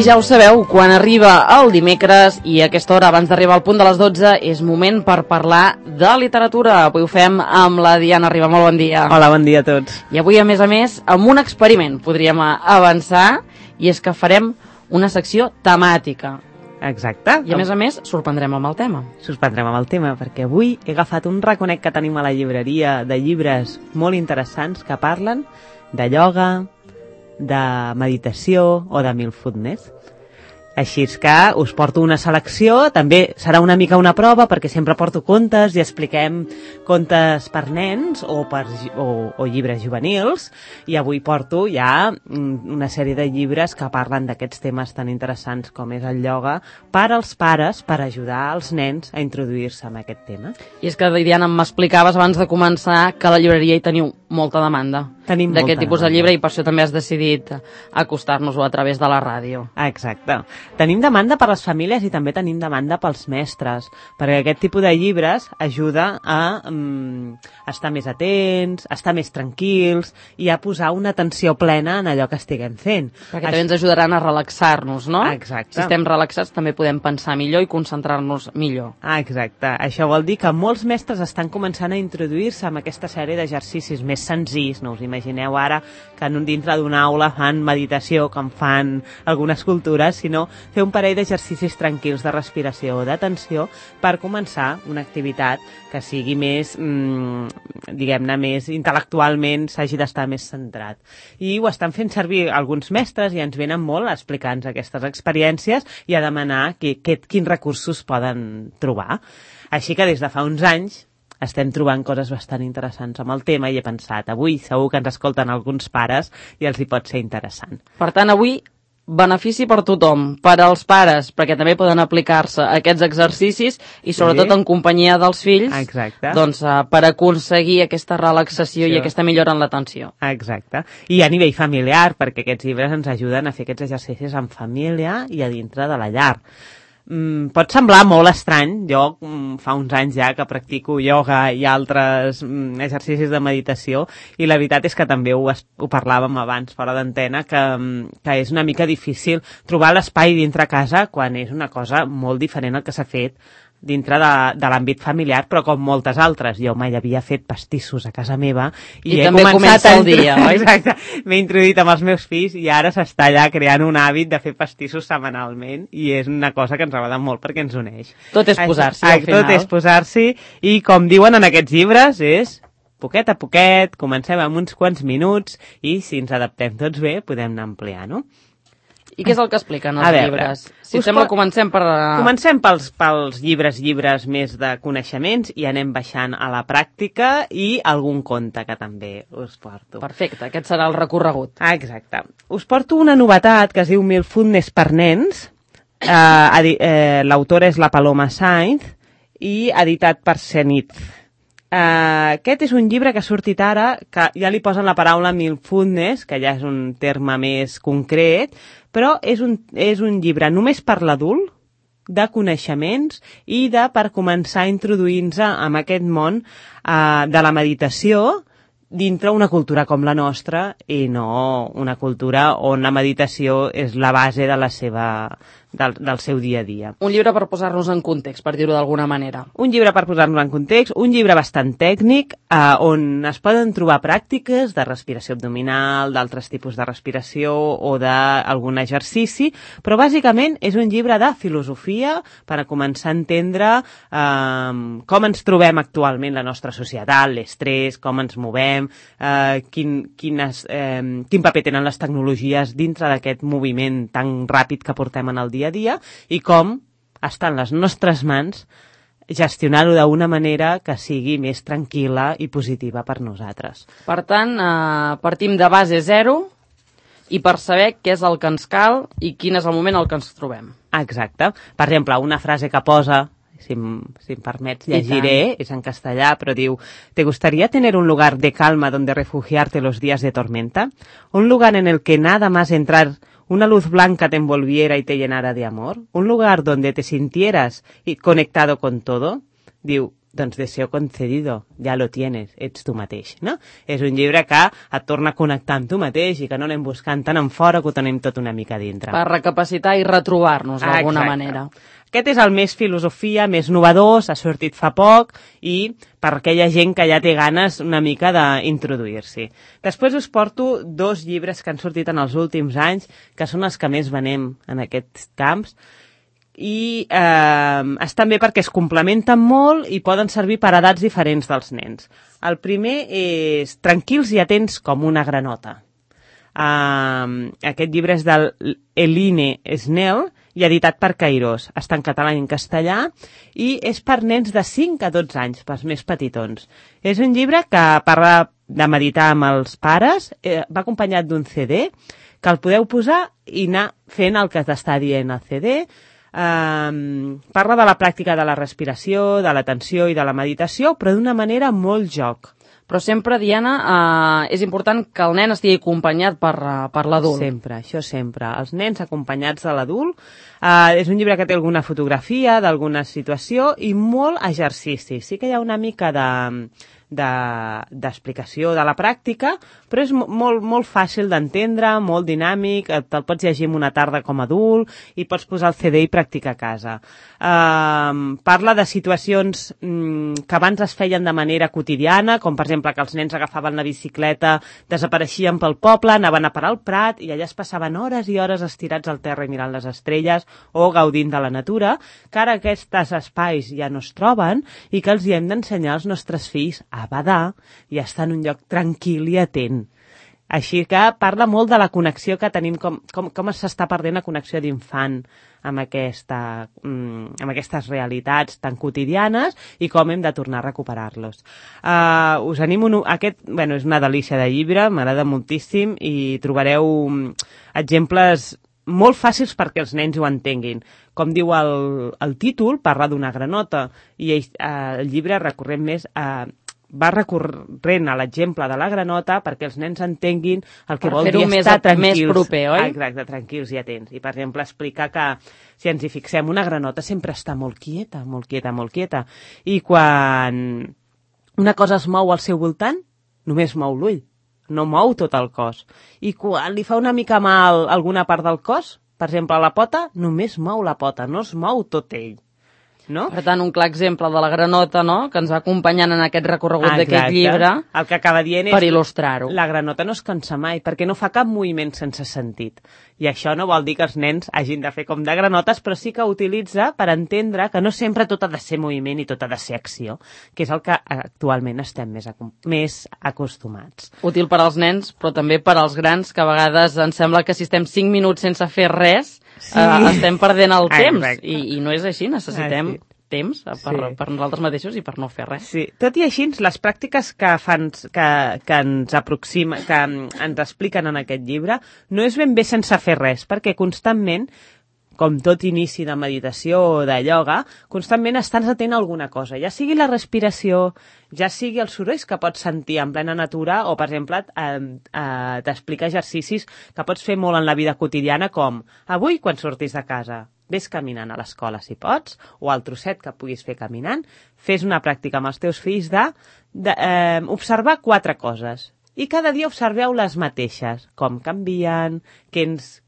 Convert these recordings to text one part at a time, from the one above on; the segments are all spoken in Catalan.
I ja ho sabeu, quan arriba el dimecres i a aquesta hora abans d'arribar al punt de les 12 és moment per parlar de literatura. Avui ho fem amb la Diana Riba. Molt bon dia. Hola, bon dia a tots. I avui, a més, amb un experiment podríem avançar, i és que farem una secció temàtica. Exacte. I a més, sorprendrem amb el tema. Sorprendrem amb el tema, perquè avui he agafat un raconet que tenim a la llibreria de llibres molt interessants que parlen de ioga, de meditació o de mindfulness. Així és que us porto una selecció, també serà una mica una prova perquè sempre porto contes i expliquem contes per nens o llibres juvenils, i avui porto ja una sèrie de llibres que parlen d'aquests temes tan interessants com és el ioga per als pares, per ajudar els nens a introduir-se en aquest tema. I és que, Diana, m'explicaves abans de començar que a la llibreria hi teniu molta demanda d'aquest tipus de llibre, i per això també has decidit acostar-nos-ho a través de la ràdio. Exacte. Tenim demanda per les famílies i també tenim demanda pels mestres, perquè aquest tipus de llibres ajuda a estar més atents, a estar més tranquils i a posar una atenció plena en allò que estiguem fent. Perquè també ens ajudaran a relaxar-nos, no? Exacte. Si estem relaxats també podem pensar millor i concentrar-nos millor. Exacte. Això vol dir que molts mestres estan començant a introduir-se en aquesta sèrie d'exercicis més senzills. No us imagineu ara que dintre d'una aula fan meditació, com fan algunes cultures, sinó fer un parell d'exercicis tranquils de respiració o d'atenció per començar una activitat que sigui més, diguem-ne, més intel·lectualment, s'hagi d'estar més centrat. I ho estan fent servir alguns mestres i ens venen molt a explicar-nos aquestes experiències i a demanar quins recursos poden trobar. Així que des de fa uns anys estem trobant coses bastant interessants amb el tema i he pensat, avui segur que ens escolten alguns pares i els hi pot ser interessant. Per tant, avui benefici per tothom, per als pares, perquè també poden aplicar-se aquests exercicis i sobretot en companyia dels fills. Exacte. Doncs per aconseguir aquesta relaxació i aquesta millora en l'atenció. Exacte. I a nivell familiar, perquè aquests llibres ens ajuden a fer aquests exercicis en família i a dintre de la llar. Pot semblar molt estrany, jo fa uns anys ja que practico ioga i altres exercicis de meditació, i la veritat és que també ho parlàvem abans fora d'antena, que és una mica difícil trobar l'espai dintre casa quan és una cosa molt diferent al que s'ha fet dintre de l'àmbit familiar, però com moltes altres. Jo mai havia fet pastissos a casa meva i he també comença el dia, oi? Exacte. M'he introduït amb els meus fills i ara s'està ja creant un hàbit de fer pastissos setmanalment i és una cosa que ens agrada molt perquè ens uneix. Tot és posar-s'hi, al final. Tot és posar-s'hi, i com diuen en aquests llibres és poquet a poquet, comencem amb uns quants minuts i si ens adaptem tots bé podem anar ampliant-ho. I què és el que expliquen els llibres? Si et sembla, comencem per... Comencem pels llibres més de coneixements i anem baixant a la pràctica i algun conte que també us porto. Perfecte, aquest serà el recorregut. Exacte. Us porto una novetat que es diu Mindfulness per nens. L'autora és la Paloma Sainz i editat per Zenith. Aquest és un llibre que ha sortit ara, que ja li posen la paraula mindfulness, que ja és un terme més concret, però és un llibre només per l'adult, de coneixements i per començar a introduir-nos en aquest món de la meditació dintre una cultura com la nostra i no una cultura on la meditació és la base de del seu dia a dia. Un llibre per posar-nos en context, per dir-ho d'alguna manera. Un llibre per posar-nos en context, un llibre bastant tècnic on es poden trobar pràctiques de respiració abdominal, d'altres tipus de respiració o d'algun exercici, però bàsicament és un llibre de filosofia per a començar a entendre com ens trobem actualment la nostra societat, l'estrès, com ens movem, quin paper tenen les tecnologies dintre d'aquest moviment tan ràpid que portem en el dia a dia i com està en les nostres mans gestionar-ho d'una manera que sigui més tranquil·la i positiva per nosaltres. Per tant, partim de base zero i per saber què és el que ens cal i quin és el moment en què ens trobem. Exacte. Per exemple, una frase que posa, si em permets, llegiré, és en castellà, però diu: ¿te gustaría tener un lugar de calma donde refugiarte los días de tormenta? Un lugar en el que nada más entrar una luz blanca te envolviera y te llenara de amor, un lugar donde te sintieras conectado con todo. Diu, doncs deseo concedido, ja lo tienes, ets tu mateix, no? És un llibre que et torna a connectar amb tu mateix i que no anem buscant tant en fora que ho tenim tot una mica dintre. Per recapacitar i retrobar-nos d'alguna manera. Aquest és el més filosofia, més novedós, ha sortit fa poc i per aquella gent que ja té ganes una mica d'introduir-s'hi. Després us porto 2 llibres que han sortit en els últims anys, que són els que més venem en aquests camps, i estan bé perquè es complementen molt i poden servir per edats diferents dels nens. El primer és Tranquils i atents com una granota. Aquest llibre és del Eline Snell i editat per Kairos. Està en català i en castellà i és per nens de 5 a 12 anys, pels més petitons. És un llibre que parla de meditar amb els pares, va acompanyat d'un CD que el podeu posar i anar fent el que t'està dient el CD. Parla de la pràctica de la respiració, de l'atenció i de la meditació, però d'una manera molt joc. Però sempre, Diana, és important que el nen estigui acompanyat per l'adult. Sempre, això sempre. Els nens acompanyats de l'adult. És un llibre que té alguna fotografia d'alguna situació i molt exercici. Sí que hi ha una mica d'explicació de la pràctica, però és molt fàcil d'entendre, molt dinàmic, te'l pots llegir en una tarda com a adult i pots posar el CD i practicar a casa. Parla de situacions que abans es feien de manera quotidiana, com per exemple que els nens agafaven la bicicleta, desapareixien pel poble, anaven a parar al prat i allà es passaven hores i hores estirats al terra i mirant les estrelles o gaudint de la natura, que ara aquests espais ja no es troben i que els hi hem d'ensenyar als nostres fills a badar i estar en un lloc tranquil i atent. Així que parla molt de la connexió que tenim, com s'està perdent la connexió d'infant amb aquestes realitats tan quotidianes i com hem de tornar a recuperar-los. Us animo, és una delícia de llibre, m'agrada moltíssim i trobareu exemples molt fàcils perquè els nens ho entenguin. Com diu el títol, parla d'una granota i el llibre va recorrent a l'exemple de la granota perquè els nens entenguin el que vol dir estar tranquils. Més proper, oi? Exacte, tranquils i atents. I, per exemple, explicar que si ens hi fixem, una granota sempre està molt quieta, molt quieta, molt quieta. I quan una cosa es mou al seu voltant, només mou l'ull, no mou tot el cos. I quan li fa una mica mal alguna part del cos, per exemple, la pota, només mou la pota, no es mou tot ell. No? Per tant, un clar exemple de la granota, no?, que ens va acompanyant en aquest recorregut d'aquest llibre, el que acaba dient per il·lustrar-ho. La granota no es cansa mai, perquè no fa cap moviment sense sentit. I això no vol dir que els nens hagin de fer com de granotes, però sí que utilitza per entendre que no sempre tot ha de ser moviment i tot ha de ser acció, que és el que actualment estem més acostumats. Útil per als nens, però també per als grans, que a vegades ens sembla que si estem 5 minuts sense fer res, estem perdent el temps. I no és així, necessitem temps per nosaltres mateixos i per no fer res. Sí. Tot i així, les pràctiques que ens aproximen, que ens expliquen en aquest llibre, no és ben bé sense fer res, perquè constantment, com tot inici de meditació o de ioga, constantment estàs atent a alguna cosa, ja sigui la respiració, ja sigui els sorolls que pots sentir en plena natura o, per exemple, t'explica exercicis que pots fer molt en la vida quotidiana, com avui, quan surtis de casa, ves caminant a l'escola, si pots, o al trosset que puguis fer caminant, fes una pràctica amb els teus fills d'observar 4 coses. I cada dia observeu les mateixes, com canvien, què ens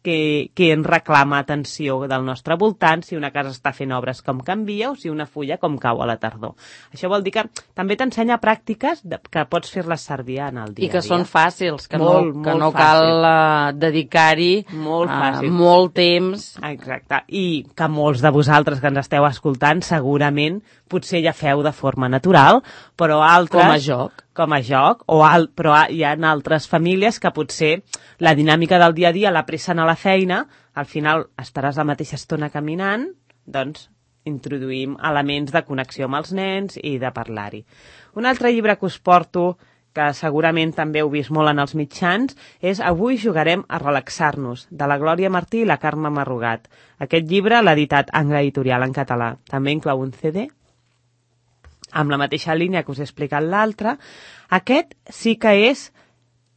reclama atenció del nostre voltant, si una casa està fent obres com canvia o si una fulla com cau a la tardor. Això vol dir que també t'ensenya pràctiques que pots fer-les servir en el dia a dia. I que són fàcils, que no cal dedicar-hi molt temps. Exacte, i que molts de vosaltres que ens esteu escoltant segurament potser ja feu de forma natural, però altres... Com a joc, però hi ha altres famílies que potser la dinàmica del dia a dia la pressen a la feina, al final estaràs la mateixa estona caminant, doncs introduïm elements de connexió amb els nens i de parlar-hi. Un altre llibre que us porto, que segurament també heu vist molt en els mitjans, és Avui jugarem a relaxar-nos, de la Glòria Martí i la Carme Marrugat. Aquest llibre l'ha editat Angra Editorial en català. També inclou un CD, amb la mateixa línia que us he explicat l'altre. Aquest sí que és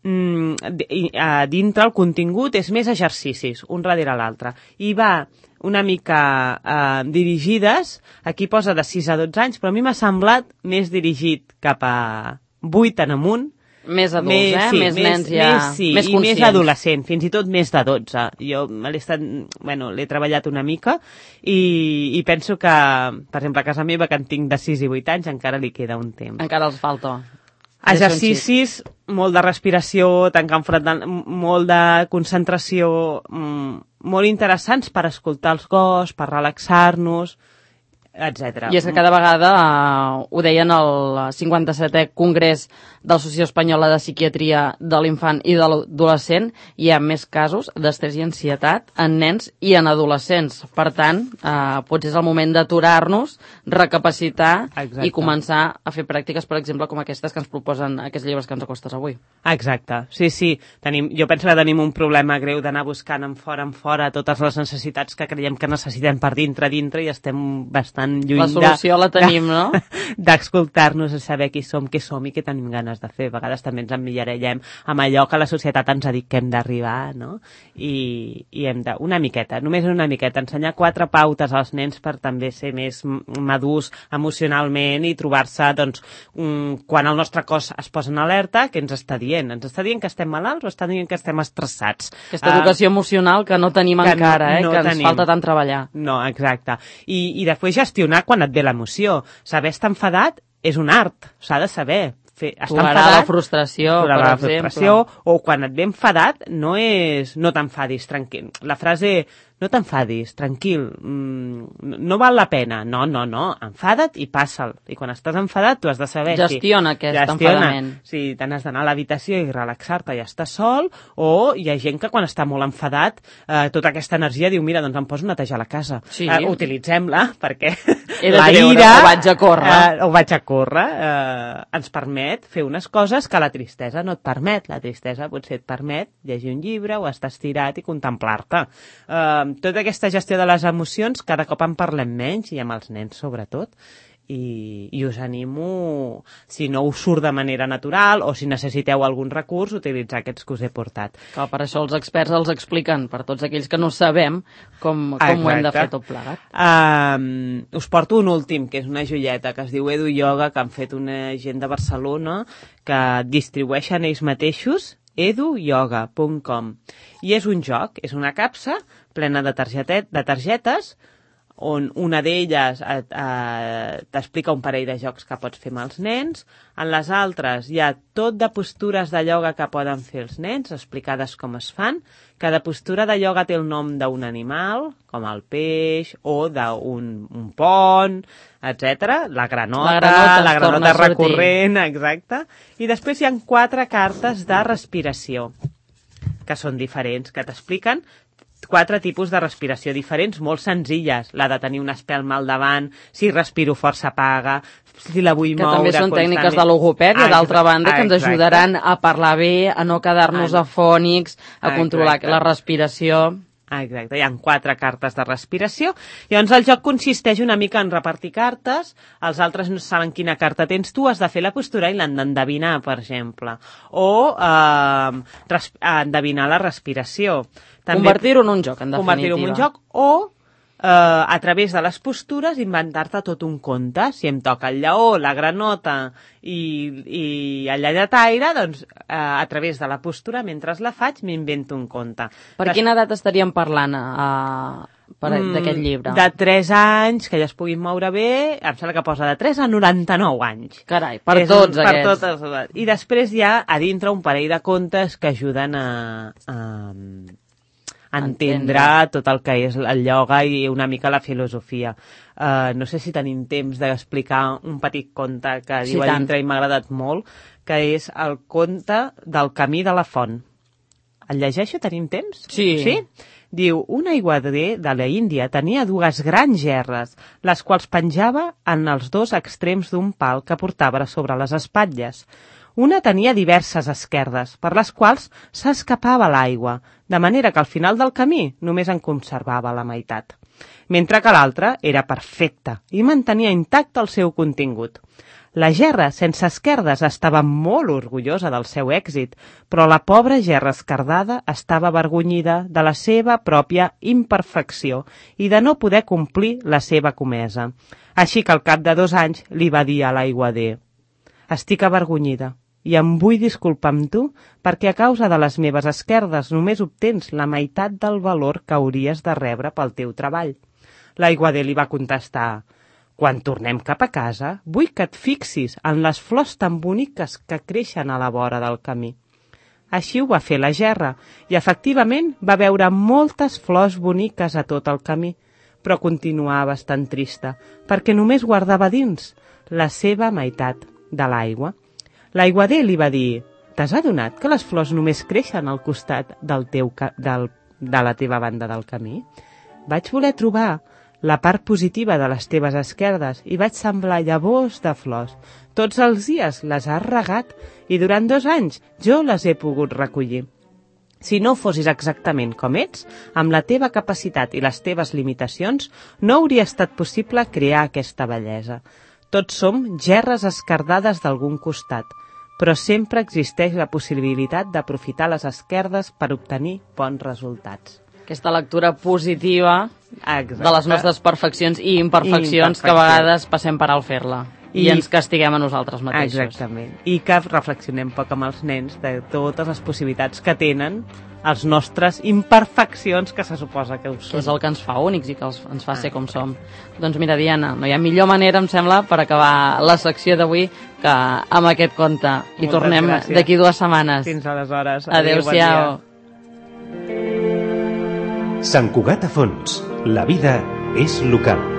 dintre el contingut és més exercicis, un darrere l'altre. I va una mica dirigides, aquí posa de 6 a 12 anys, però a mi m'ha semblat més dirigit cap a 8 en amunt. Més adults, més nens ja... Més conscients. I més adolescent, fins i tot més de 12. Jo l'he treballat una mica i penso que, per exemple, a casa meva, que en tinc de 6 i 8 anys, encara li queda un temps. Encara els falta. Exercicis, molt de respiració, tancar un forat, molt de concentració, molt interessants per escoltar els cos, per relaxar-nos, etc. I és que cada vegada, ho deien al 57è Congrés de l'Associació Espanyola de Psiquiatria de l'Infant i de l'Adolescent, hi ha més casos d'estrès i ansietat en nens i en adolescents. Per tant, potser és el moment d'aturar-nos, recapacitar i començar a fer pràctiques, per exemple, com aquestes que ens proposen aquests llibres que ens acostes avui. Exacte, sí. Jo penso que tenim un problema greu d'anar buscant en fora totes les necessitats que creiem que necessitem per dintre i estem bastant lluny. La solució la tenim, no? D'escoltar-nos, a saber qui som i què tenim ganes de fer. A vegades també ens emmirallem amb allò que la societat ens ha dit que hem d'arribar, no? I hem de, només una miqueta, ensenyar 4 pautes als nens per també ser més madurs emocionalment i trobar-se, doncs, quan el nostre cos es posa en alerta, què ens està dient? Ens està dient que estem malalts o està dient que estem estressats? Aquesta educació emocional que no tenim encara, que ens falta tant treballar. No, exacte. I després gestionar quan et ve l'emoció. Saber estar enfadat és un art, s'ha de saber. Tolerar la frustració, per exemple. O quan et ve enfadat no t'enfadis, tranquil. La frase, no t'enfadis, tranquil, no val la pena. No, enfada't i passa'l. I quan estàs enfadat tu has de saber... Gestiona aquest enfadament. Si te n'has d'anar a l'habitació i relaxar-te i estar sol, o hi ha gent que quan està molt enfadat, tota aquesta energia diu, mira, doncs em poso a netejar la casa. Sí. Utilitzem-la, perquè la ira... O vaig a córrer. Ens permet fer unes coses que la tristesa no et permet. La tristesa potser et permet llegir un llibre o estar estirat i contemplar-te. Tota aquesta gestió de les emocions cada cop en parlem menys, i amb els nens sobretot, i us animo, si no us surt de manera natural o si necessiteu algun recurs, utilitzar aquests que us he portat. Clar, per això els experts els expliquen, per tots aquells que no sabem com ho hem de fer tot plegat. Us porto un últim, que és una joieta, que es diu Edu Yoga, que han fet una gent de Barcelona, que distribueixen ells mateixos, eduyoga.com. I és un joc, és una capsa plena de targetes, on una d'elles t'explica un parell de jocs que pots fer amb els nens. En les altres hi ha tot de postures de ioga que poden fer els nens, explicades com es fan. Cada postura de ioga té el nom d'un animal, com el peix, o d'un pont, etc. La granota recurrent, exacte. I després hi ha 4 cartes de respiració, que són diferents, que t'expliquen 4 tipus de respiració diferents, molt senzilles. La de tenir una espelma al davant, si respiro fort s'apaga, si la vull moure... Que també són tècniques de logopèdia, d'altra banda, que ens ajudaran a parlar bé, a no quedar-nos afònics, a controlar la respiració... Exacte, hi ha 4 cartes de respiració. Llavors el joc consisteix una mica en repartir cartes, els altres no saben quina carta tens tu, has de fer la postura i l'han d'endevinar, per exemple. O endevinar la respiració. Convertir-ho en un joc, en definitiva. Convertir-ho en un joc, o a través de les postures inventar-te tot un conte. Si em toca el lleó, la granota i el llenyataire, doncs a través de la postura, mentre la faig, m'invento un conte. Per quina edat estaríem parlant d'aquest llibre? De 3 anys, que ja es puguin moure bé, em sembla que posa de 3 a 99 anys. Carai, per tots aquests. I després hi ha a dintre un parell de contes que ajuden a entendre tot el que és el ioga i una mica la filosofia. No sé si tenim temps d'explicar un petit conte que diu a dintre i m'ha agradat molt, que és el conte del camí de la font. El llegeixo? Tenim temps? Sí. Diu, un aiguader de la Índia tenia 2 grans gerres, les quals penjava en els 2 extrems d'un pal que portava sobre les espatlles. Una tenia diverses esquerdes, per les quals s'escapava l'aigua, de manera que al final del camí només en conservava la meitat, mentre que l'altra era perfecta i mantenia intacte el seu contingut. La Gerra, sense esquerdes, estava molt orgullosa del seu èxit, però la pobra Gerra esquerdada estava avergonyida de la seva pròpia imperfecció i de no poder complir la seva comesa. Així que al cap de 2 anys li va dir a l'aiguader: «Estic avergonyida i em vull disculpar amb tu perquè a causa de les meves esquerdes només obtens la meitat del valor que hauries de rebre pel teu treball». L'aiguader li va contestar: «Quan tornem cap a casa, vull que et fixis en les flors tan boniques que creixen a la vora del camí». Així ho va fer la Gerra i efectivament va veure moltes flors boniques a tot el camí, però continuava bastant trista perquè només guardava dins la seva meitat de l'aigua. L'aiguader li va dir: «T'has adonat que les flors només creixen al costat de la teva banda del camí? Vaig voler trobar la part positiva de les teves esquerdes i vaig semblar llavors de flors. Tots els dies les has regat i durant 2 anys jo les he pogut recollir. Si no fossis exactament com ets, amb la teva capacitat i les teves limitacions, no hauria estat possible crear aquesta bellesa. Tots som gerres esquerdades d'algun costat, però sempre existeix la possibilitat d'aprofitar les esquerdes per obtenir bons resultats». Aquesta lectura positiva Exacte. de les nostres perfeccions i imperfeccions que a vegades passem per alt fer-la i ens castiguem a nosaltres mateixos. Exactament. I que reflexionem poc amb els nens de totes les possibilitats que tenen els nostres imperfeccions, que se suposa que ho són. Que és el que ens fa únics i que ens fa ser com som. Doncs mira, Diana, no hi ha millor manera, em sembla, per acabar la secció d'avui que amb aquest conte. I tornem d'aquí 2 setmanes. Fins aleshores. Adéu-siau. Sant Cugat a Fons. La vida és local.